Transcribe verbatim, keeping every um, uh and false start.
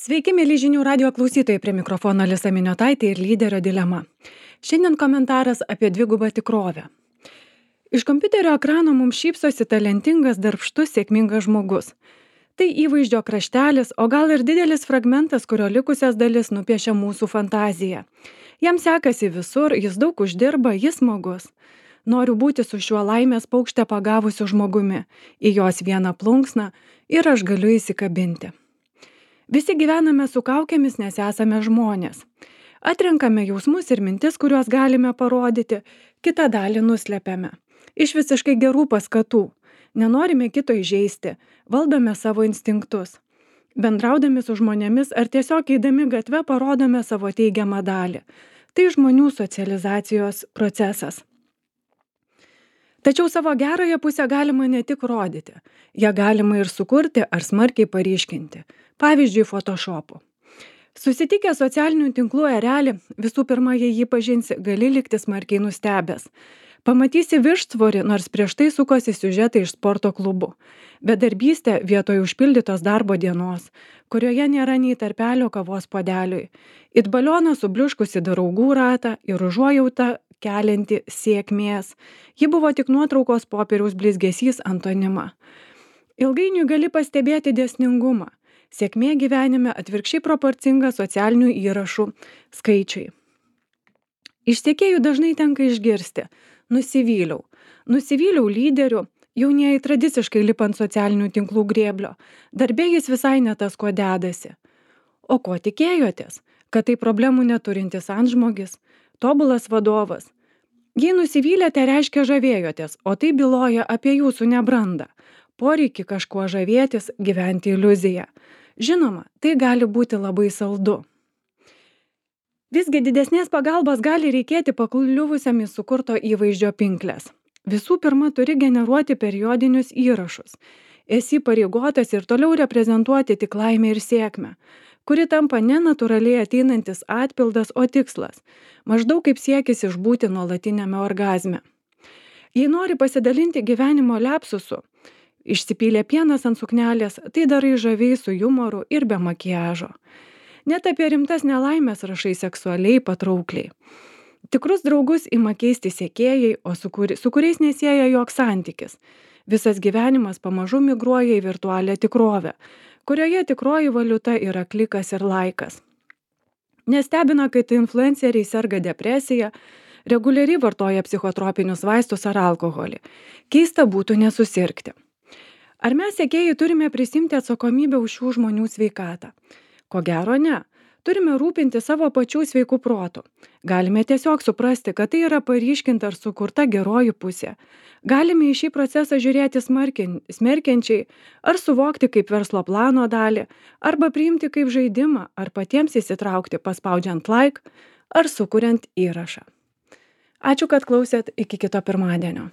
Sveiki, mėly žinių radio klausytojai, prie mikrofono Alisa Miniotaitė ir lyderio dilema. Šiandien komentaras apie dvigubą tikrovę. Iš kompiuterio ekrano mums šypsosi talentingas, darbštus, sėkmingas žmogus. Tai įvaizdžio kraštelis, o gal ir didelis fragmentas, kurio likusias dalis nupiešia mūsų fantazija. Jam sekasi visur, jis daug uždirba, jis smagus. Noriu būti su šiuo laimės paukšte pagavusiu žmogumi, į jos vieną plunksną ir aš galiu įsikabinti. Visi gyvename su kaukėmis, nes esame žmonės. Atrenkame jausmus ir mintis, kuriuos galime parodyti, kitą dalį nuslepiame. Iš visiškai gerų paskatų. Nenorime kito įžeisti, valdome savo instinktus. Bendraudami su žmonėmis ar tiesiog eidami gatve parodome savo teigiamą dalį. Tai žmonių socializacijos procesas. Tačiau savo gerąją pusę galima ne tik rodyti, ją galima ir sukurti ar smarkiai paryškinti, pavyzdžiui, Photoshopu. Susitikę socialinių tinklų erelį, visų pirma, jei jį pažinsi, gali likti smarkiai nustebęs. Pamatysi viršsvorį, nors prieš tai sukosi siužetai iš sporto klubų. Bedarbystė vietoj užpildytos darbo dienos, kurioje nėra nei tarpelio kavos puodeliui. It balioną subliuškusi draugų ratą ir užuojautą kelianti sėkmės. Ji buvo tik nuotraukos popieriaus blizgesys antonima. Ilgainiui gali pastebėti dėsningumą. Sėkmė gyvenime atvirkščiai proporcinga socialinių įrašų skaičiui. Iš sekėjų dažnai tenka išgirsti: nusivyliau. Nusivyliau lyderiu, jaunieji tradiciškai lipa ant socialinių tinklų grėblio. Darbė jis visai ne tas, kuo dedasi. O ko tikėjotės? Kad tai problemų neturintis antžmogis, tobulas vadovas. Jei nusivylėte, reiškia žavėjotės, o tai byloja apie jūsų nebrandą. Poreikį kažkuo žavėtis, gyventi iliuziją. Žinoma, tai gali būti labai saldu. Visgi didesnės pagalbos gali reikėti pakliuvusiam į sukurto įvaizdžio pinkles. Visų pirma, turi generuoti periodinius įrašus. Esi pareigotas ir toliau reprezentuoti tik laimę ir sėkmę, kuri tampa ne natūraliai ateinantis atpildas, o tikslas. Maždaug kaip siekis išbūti nuolatiniame orgazme. Jei nori pasidalinti gyvenimo liapsusu, išsipylė pienas ant suknelės, tai darai žaviai su jumoru ir be makiažo. Net apie rimtas nelaimės rašai seksualiai patraukliai. Tikrus draugus ima keisti sekėjai, o su, kuri, su kuriais nesieja joks santykis. Visas gyvenimas pamažu migruoja į virtualią tikrovę, kurioje tikroji valiuta yra klikas ir laikas. Nestebina, kad influenceriai serga depresija, reguliariai vartoja psichotropinius vaistus ar alkoholį. Keista būtų nesusirgti. Ar mes sekėjai turime prisimti atsakomybę už šių žmonių sveikatą? Ko gero ne. Turime rūpinti savo pačių sveikų protų. Galime tiesiog suprasti, kad tai yra paryškinta ar sukurta geroji pusė. Galime į šį procesą žiūrėti smerkiančiai, ar suvokti kaip verslo plano dalį, arba priimti kaip žaidimą, ar patiems įsitraukti paspaudžiant like, ar sukuriant įrašą. Ačiū, kad klausėt, iki kito pirmadienio.